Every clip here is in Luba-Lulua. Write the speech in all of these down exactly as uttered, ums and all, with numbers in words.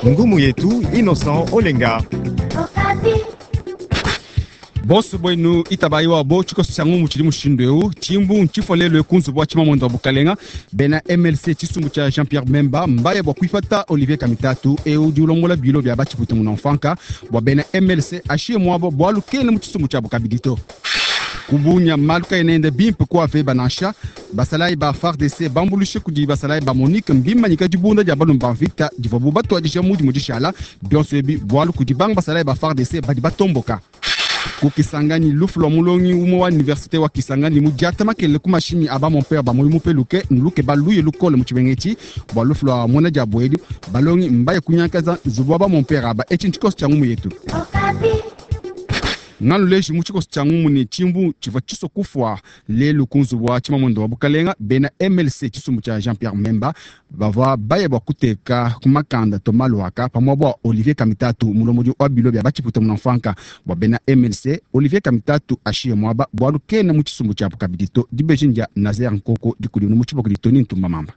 Ngumu yetu Innocent Olenga. Bonso bwenu itabayi wabo tshikoso tshia ngumu tshidi mushindu eu tshimbu ntshifua lelu ku nzubu wa tshimamuende wa bukalenga bena M L C, tshisumbu tshia Jean Pierre Bemba, mbaya bua kuipata Olivier Kamitatu eu udi ulombola bilo bia batshipuita munamfanka bua bena M L C ashiye muabo bualu kena mu tshisumbu tshiabo kabidi to. Kubunya malu kaenende bimpe ku Aveba nansha. Basalayi ba F A R D C bambulushe kudi basalayi ba MONUC mbimanyika dibunda dia balumba ba mvita divuabu batuadija mudimu dishala. Bionso ebi bualu kudi banga basalayi ba F A R D C badi batomboka. Ku Kisangani, lufu lwa mulongi umwe wa université wa Kisangani mudiata makelele ku mashimi a bamompere ba moyo mupeluke nuluke baluye lukole mu tshibengeti bua lufu lwa mwana dia bwedi. Balongi mbaye kunyankaza nzubu wa bamompere aba. Etshi ntshikoso tshia ngumu yetu nganu leji mu tshikoso tshia ngumu ne tshimbu tshivua tshiso kufua lelu ku nzubu wa tshimamuende wa bukalenga. Bena M L C, tshisumbu tshia Jean Pierre Bemba, bavua baya bua kuteka ku makanda Thomas Luhaka pamue bua Olivier Kamitatu, mulombodi wa bilo bia batshipuita munamfanka. Bua bena M L C, Olivier Kamitatu ashiye muaba bualu kena mu tshisumbu tshiabu kabidi to. Dibeji ndia Nazer Nkoko, dikudi mu tshiboko ditoni Ntumba Mamba.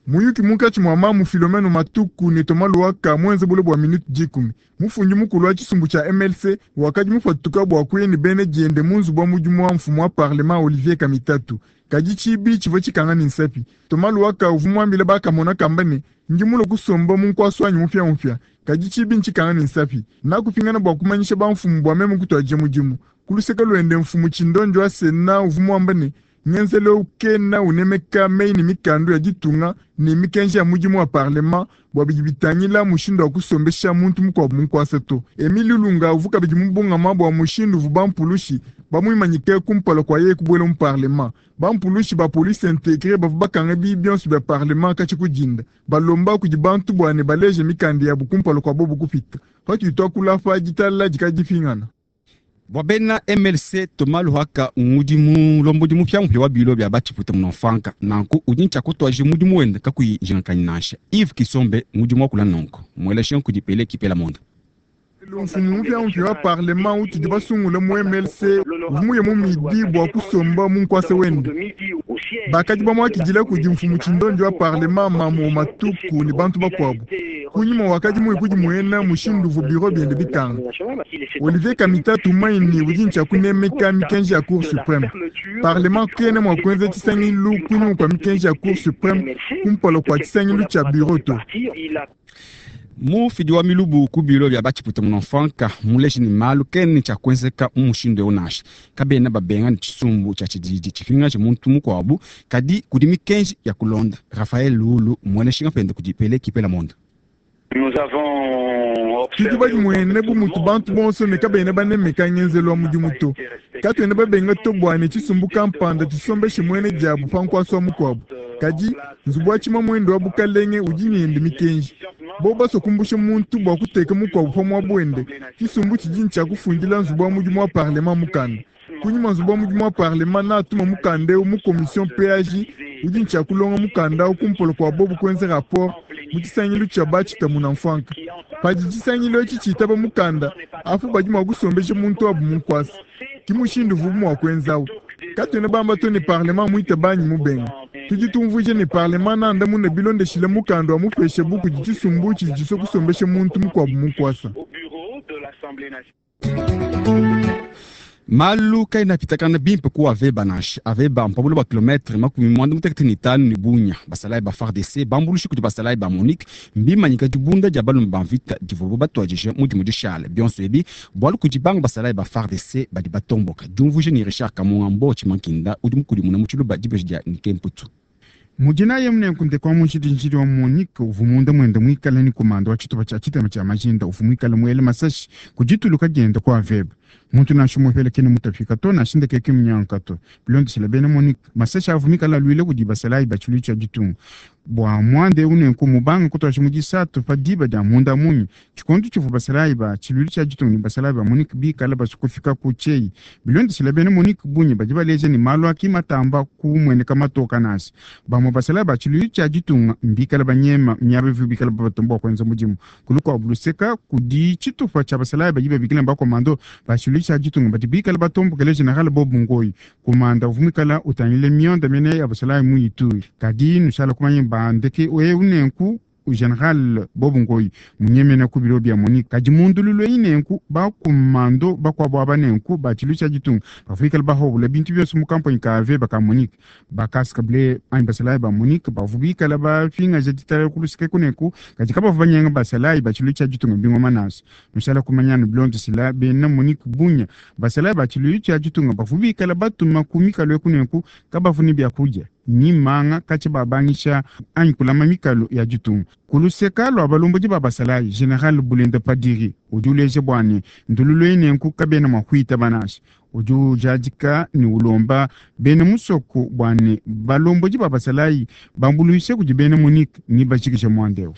Muyuki munkatshi mua mamu Philomene Matuku ne Thomas Luhaka muenze bule bua minute dikumi. Mufundi mukulu wa tshisumbu tshia M L C wakadi mupatuka bua kuya ne bena diende mu nzubu wa mudimu wa mfumu wa parlement Olivier Kamitatu, kadi tshibi tshivua tshikanga ne nsapi. Thomas Luhaka uvua muambile bakamona kamba ne: "Ndi mulue kusomba mu nkuasa wanyi mupiamupia, kadi tshibi ntshikanga ne nsapi. Nakupingana bua kumanyisha bamfumu bua meme kutuadija mudimu." Ku luseke luende, mfumu Tshindonjo wa Sena uvua muamba ne ngenzelu kena unemeka meyi ne mikandu ya ditunga ne mikenji ya mudimu wa parlement bua bidi bitangila mushindu wa kusombesha muntu mukuabu mu nkuasa to. Emile Ilunga uvua kabidi mubungama bua mushindu uvua bampulushi bamuimanyike kumpala kua yeye kubuela mu parlement. Bampulushi ba police intégrée bavua bakanga bibi bionso bia parlement katshi kudinda, balomba kudi bantu bua ne baleje mikanda yabu kumpala kua bobu kupita. Patudi tuakula pa ditalala dikadi dipingana. Bua bena M L C, Thomas Luhaka ngudi mulombodi mupiamupia wa bilo bia batshipuita munamfanka, nanku udi ntshia kutuadija mudimu wende kakuyi njingakanyi nansha. Yves Kisombe ngudi muakula nonko mueleshe nkudi pele kipela monda. Mfumu mupiamupia wa parlement utudi basungule mu M L C uvua muye mu midi bua kusomba mu nkuasa wende. Bakadi bamuakidila kudi mfumu Tshindonjo wa parlement mamu Matuku ne bantu bakuabu. Kunyima wakadi muye kudimuena mushindu uvua biro biende bikanga. Olivier Kamitatu maini udi ntshia kunemeka mikenji ya Cour suprême. Parlement kena mua kuenza tshisangilu kunyima kua mikenji ya Cour suprême kumpala kua tshisangilu tshia bureau to. Mufidi wa milubu ku bilo bia batshipuita munamfanka muleji ne malu kene tshia kuenzeka mu mushindu eu nansha. Kabena babenga ne tshisumbu tshia tshididi tshipingaje muntu mukuabu, kadi kudi mikenji ya kulonda. Rafael Lulu mueleshinga pende kudi pele kipela monda. Tudi badimuene bu mutu bantu bonso ne kabena banemeka ngenzelu wa mudimu to. Katuena babenga to bua ne tshisumbu kampanda tshisombeshe muene diabu pa nkuasa wa mukuabu, kadi nzubu wa tshimamuende wa bukalenge udi nende mikenji. Bo basua kumbusha muntu bua kuteka mukuabu pa muaba wende, tshisumbu tshidi ntshia kufundila nzubu wa mudimu wa parlement mukanda. Kunyima nzubu wa mudimu wa parlement natuma mukanda eu mu commission P A J udi ntshia kulonga mukanda au kumpala kua bobu kuenza rapport mu tshisangilu tshia batshita munamfanka. Padi tshisangilu etshi tshitaba mukanda apu, badi mua kusombesha muntu wabu mu nkuasa. Ki mushindu uvubu mua kuenzawu. Katuena bamba to ne parlement muita banyi mubenga. Tudi tumvuija ne parlement nandamune bilondeshile mukanda wa mupesha bu kudi tshisumbu tshidi tshisua kusombesha muntu mukuabu mu nkuasa. Malu kaena apitakana bimpe ku Aveba nansha. Aveba mpabulu ba kilometre makumi muanda mutekete ne itanu ne Bunya. Basalayi ba F A R D C bambulushi kudi basalayi ba MONUC mbimanyika dibunda dia balume ba mvita divuabu batuadije mudimu dishala. Bionso ebi bualu kudi banga basalayi ba F A R D C badi batomboka. Diumvuija ne Richard Kamunga Mbo Tshimankinda udi mukudimuna mu tshiluba dibeji dia Nikemputu. Mudinaye munenkunde kwa munjidinjidi wa MONUC uvua munda mwende mwikale ni komanda wa tshitupa tshia tshitema tshia majinda uvua mwikale muele masashi kudituluka dienda kwa Aveba. Muntu nansha umue kene mutafika to, nansha ndeke munyanka to. Bilondeshile bena MONUC, masashi avua mikale aluile kudi basalayi ba tshiluilu tshia ditunga bua muanda eu. Nenku mubanga kutuadija mu disatu pa diba dia munda munyi, tshikondo tshivua basalayi ba tshiluilu tshia ditunga ne basalayi ba MONUC bikale basue kufika ku tshieyi. Bilondeshile bena MONUC bunyi badi baleja ne malu aki matamba kumueneka matoka nansha. Bamue basalayi ba tshiluilu tshia ditunga mbikale banyema miaba ivu bikale babatomba bua kuenza mudimu. Kulukuabu luseka, kudi tshitupa tshia basalayi badi babikila bakomando ba tshiluilu tshia ditunga badi bikale batombokele général Bob Ngoyi, komanda uvua muikala utangile mionda mene ya basalayi mu Ituri. Kadi nushala kumanya bandeke eu nenku. General Bob Ngoyi munyemena ku biro bya MONUC kadi mundululo eyi nenku bakumando bakuabu aba nenku ba tshilu tshia ditunga bavuikala bahobula bintu byonso mu kampanyi ka Aveba ka MONUC bakasikabule anyi basalayi ba MONUC bavu bikala bafingaja ditala kuluseke kuneku kadi kabavu banyenga basalayi ba tshilu tshia ditunga bingoma naso nushala kumanyana bilondesela bena MONUC bunya basalayi ba tshilu tshia ditunga bavu bikala batuma ku mikalo ekuneku kabavu ne byakudia ni manga katshi babangisha anyi kulama mikalo ya ditunga kuluseka lwa balombodi ba basalayi General Bulenda Padiri udi uleja bwane ndululu enenku kabena mwa kuita banasha udi ujadika ni ulomba bena musoko bwane balombodi ba basalayi bambuluishe kudi bena MONUC ni bashikisha mwandeo.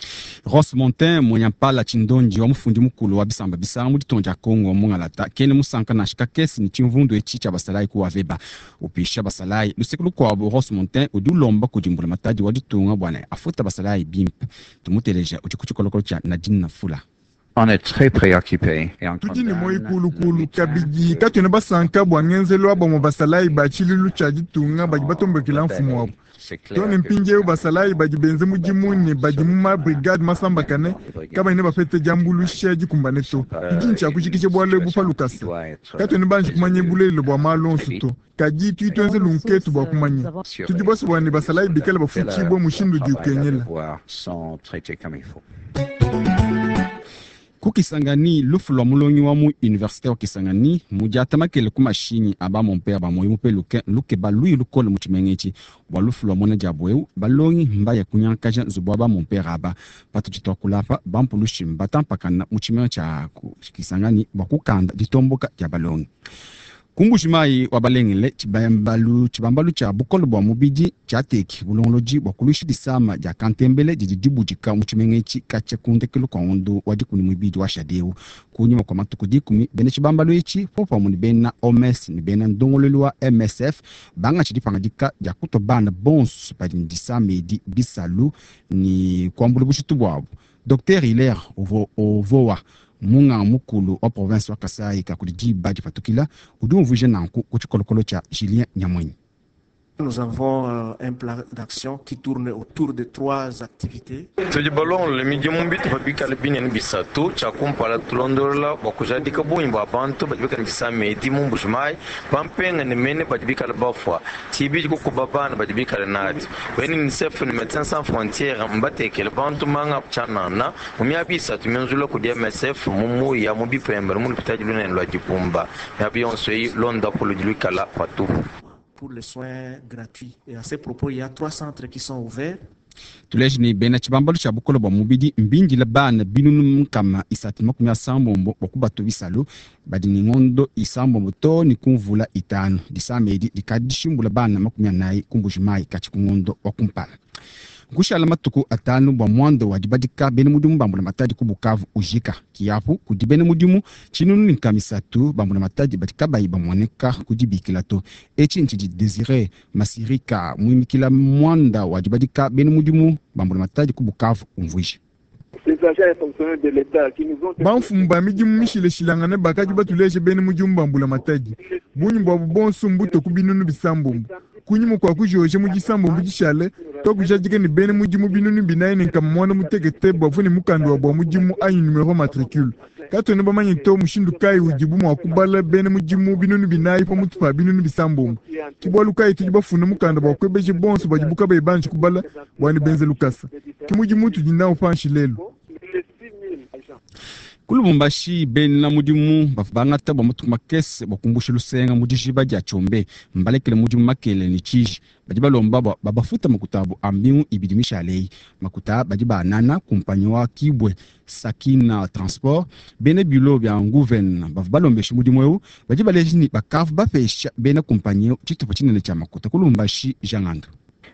Ross Montin Monyampala Chindonji wa mufundi mukulu wa bisamba bisanga mu ditonja Kongo mungalata kene musanka na shika kesi ni chimvundu echi cha basalayi ku Aveba upisha basalayi lusiku lukwabo. Ross Montin udi ulomba kudimbula matadi wa ditunga bwana afuta basalayi bimpe tumuteleja udi ku tshikolokolo tshia Nadine Nafula. On est très préoccupé. Tudi ne moyi kulukulu kabidi katwena basanka bua ngenzelo wa bamwe basalayi ba tshililu tshia ditunga badi batombokela mfumu wabu tone mpindieu basalayi badi benze mudimu ne badi mu mabrigade masambakane kabayi ne bapete diambuluisha dikumbane to tudi ntshia kujikija bualu ebu pa lukasa katwena banji kumanya bulelelo bua malu onso to kadi tudi tuenze lunketu bua kumanya tudi bonso bua ne basalayi bikale bafutshibue mushindu udi ukengela. Ku Kisangani lufu lwa mulongi wa mu université wa Kisangani mudiatamakele ku mashinyi aba mompere bamoyi mupe luke lukeba luyi lukole mu tshimenga etshi bua lufu lwa mona diabu eu balongi mbaya kunyankaja nzubu wa ba mompere aba patudi tuakulapa bampulushi mbatampakana mu tshimenga tshia Kisangani bua kukanda ditomboka dia balongi. Kumbushi mai wa balengele tshibambalu tshibambalu tshia bukole bua mubidi tshiateki bulongolodi bua kuluisha disama dia kantembele didi dibudika mu tshimenga etshi katshia ku ndekelu kua ngondo wa dikumi muibidi wa shadeu kunyima kua matuku dikumi bena tshibambalu etshi popamue ne bena O M S ne bena ndongoluelu wa M S F bangatshi dipangadika dia kutua bana bonso badi ne disama edi bisalu ne kuambula bushitu buabu. Docteur Hilaire Ovowa munganga mukulu wa province wa Kasai kakudi diba dipatukila udi umvuija nanku ku tshikolokolo tshia Julien Nyamwenyi. Nous avons un plan d'action qui tourne autour de trois activités. Tudi balongolola midimu bitupa bikale binene bisatu tshia kumpala tulondolola bua kujadika bungi bua bantu badi bikale disama edi mu Mbuji-Mayi bampenga ne mene badi bikale bafua tshibidi kukuba bana badi bikale nadi bena UNICEF ne Médecins Sans Frontières mbatekele bantu manga tshianana mu miaba isatu mienzula kudi M S F mu Muya mu Bipembe mu lupitadi lunene lua Dibumba miaba yonso eyi londapu ludi luikala patupu. Pour les soins gratuits. Et à ce propos, il y a trois centres qui sont ouverts. Tuleji ni bena tshibambalu tshia bukole bua mubidi mbindila bana binunu nkama isatu makumi asambombo bua kubatu bisalu badi ni ngondo isambombo to ni kumvula itanu disama edi dikadi dishimbula bana makumi anayi ku Mbuji-Mayi katshi ku ngondo wa kumpala. Nkushala matuku atanu bua mwando wa dibadika bena mudimu bambula matadi ku Bukavu ujika kiapu kudi bena mudimu tshinunu ni nkama isatu bambula matadi badi kabayi bamuoneka kudibikila to etshi ntshidi Desire Masirika muimikila mwanda wa dibadika bena mudimu bambula matadi ku Bukavu umvuija. Bamfumu ba midimu mishileshilangane bakadi batuleje bena mudimu bambula matadi bungi buabu bonso mbuto ku binunu bisambombo kunyima kua kujoje mu disambombo dishale twakujadika ne bena mudimu binunu binayi ne nkama muanda mutekete bavua ne mukanda wa bua mudimu anyi numero matricule katwena bamanye to mushindu kayi udibu mua kubala bena mudimu binunu binayi pamutu pa binunu bisambombo ke bualu kayi tudi bafunda mukanda bua kuebeje bonso badibu kabayi banji kubala bua ne benze lukasa ke mudimu tudi nawu panshi lelu. Ku Lubumbashi bena mudimu bavua bangata bua matuku makese bua kumbusha lusenga mu dijiba dia Tshombe mbalekele mudimu makele ne tshiji badi balomba bua babafuta makuta abo a mbingu ibidi mishale makuta badi banana kumpanyi wa Kibwe Sakina Transport bena bilo bia nguven bavua balombesha mudimu eu badi baleji ni bakavu bapesha bena kumpanyi eu tshitupa tshinene tshia makuta. Ku Lubumbashi Jangando.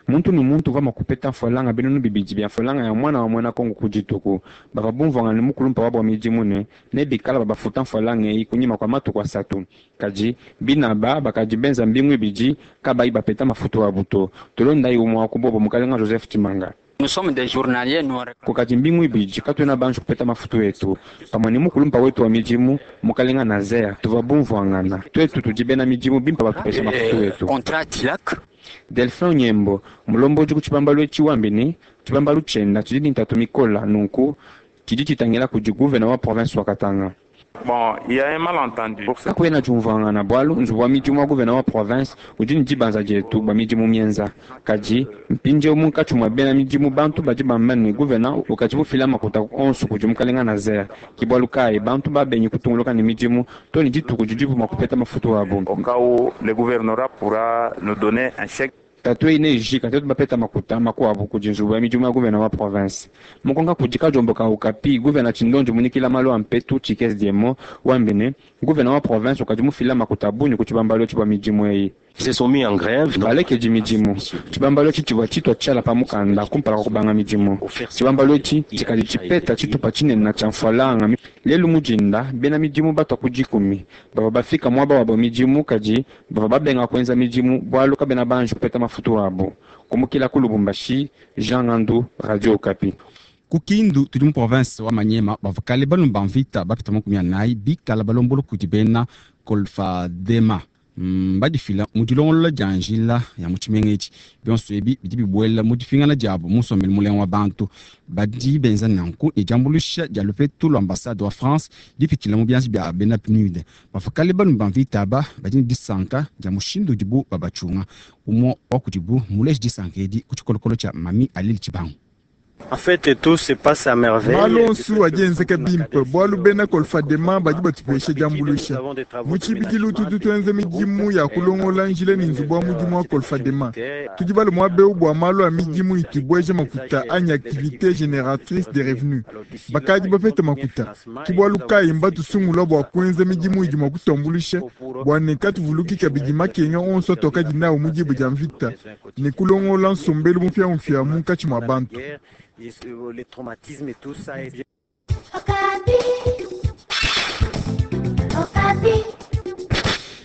Muntu ni muntu uvua kupeta mfolanga binunu bibidi bia mfolanga ya mwana wa mwena Kongo ku dituku bava bumvwanga ne mukulumpa wabo wa midimu ne ne bikala babafuta mfolanga eyi kunyima kua matuku asatu kadi binaba bakadi benza mbingu ibidi kabayi bapeta mafutu abu to tulondayi umwe wa kubobo mukalenga Joseph Tshimanga. Nous sommes des journaliers, nous kukadi mbingu ibidi katuena banji kupeta mafutu etu pamue ne mukulumpa wetu wa midimu mukalenga Nazer tuva bumvwangana twetu tudi bena midimu bimpa batupesha mafutu etu. Contrat TILAC. Delphin Nyembo mulombodi ku tshibambalu etshi wambi ne tshibambalu tshienda tshidi ne ntatu mikola nunku tshidi tshitangila kudi gouverneur wa province wa Katanga. Bon, il y a un malentendu. Kakuena diumvuangana bualu nzubu wa midimu wa gouverneur wa province udi ne dibanza dietu bua midimu mienza. Kadi mpindieu munkatshi mua bena midimu bantu badi bamba ne gouverneur ukadi mufila makuta onso kudi mukalenga Nazaire. Ke bualu kayi bantu babengi kutunguluka ne midimu to ne dituku didibu mua kupeta mafutu abu. Au cas où le gouvernorat pourra nous donner un chèque. Tatu eyi neijika tetu bapeta makuta makuabu kudi nzubu ya midimu ya gouverneur wa province. Mukonka kudi kadiombo ka Okapi, gouverneur Tshindonji munikila malu a mpetu Tshikes Diemo wambi ne gouverneur wa province ukadi mufila makuta bungi ku tshibambalu etshi bua midimu eyi. Se sont mis en grève. Balekeji midimu tshibambalu etshi tshivua tshitua tshiala pa mukanda kumpala kwa kubanga midimu. Tshibambalu etshi tshikadi tshipeta tshitupa tshinene tshia mfualanga. Lelu mujinda bena midimu batua ku dikumi bavua bafika muaba wabo midimu kadi bavua babenga kuenza midimu bualu kabena banji kupeta mafutu abu. Kumukila ku Lubumbashi, Jean Ngandu, Radio Okapi. Ku Kindu tudi mu province wa Maniema bavua kale balomba mvita bapita makumi anayi bikala balombola kudi bena Kolfadema. Mm, badifila mu dilongolola dia njila ya mu tshimenga etshi. Bionso ebi bidi bibuela mu dipingana diabo mu nsombelu mulenga wa bantu. Badi benza nanku ne diambuluisha dia lupetu lua ambassade wa France dipitshila mu bianza bia bena PNUD. Bavua kale balomba mvita aba badi ne disanka dia mushindu udibu babatshunga. Umue wa kudibu muleje disanka edi ku tshikolokolo tshia Mami Alil Tshibangu. En fait, tout se passe à merveille. Malu onso adi enzeka bimpe bualu bena Kolfadema badi batupesha diambuluisha. Mu tshibidilu tutu tuenza midimu ya kulongola njila ne nzubu wa mudimu wa Kolfadema. Tudi bale muaba eu bua malu a midimu itu ibueja makuta anyi activité génératrice de revenus. Bakadi bapete makuta. Ke bualu kayi mbatusungula bua kuenza midimu idi mua kutuambuluisha bua ne katuvuluki kabidi makenga onso atuakadi nawu mu diba dia mvita ne kulongola nsombelu mupiamupia munkatshi mua bantu. Les traumatismes et tout ça.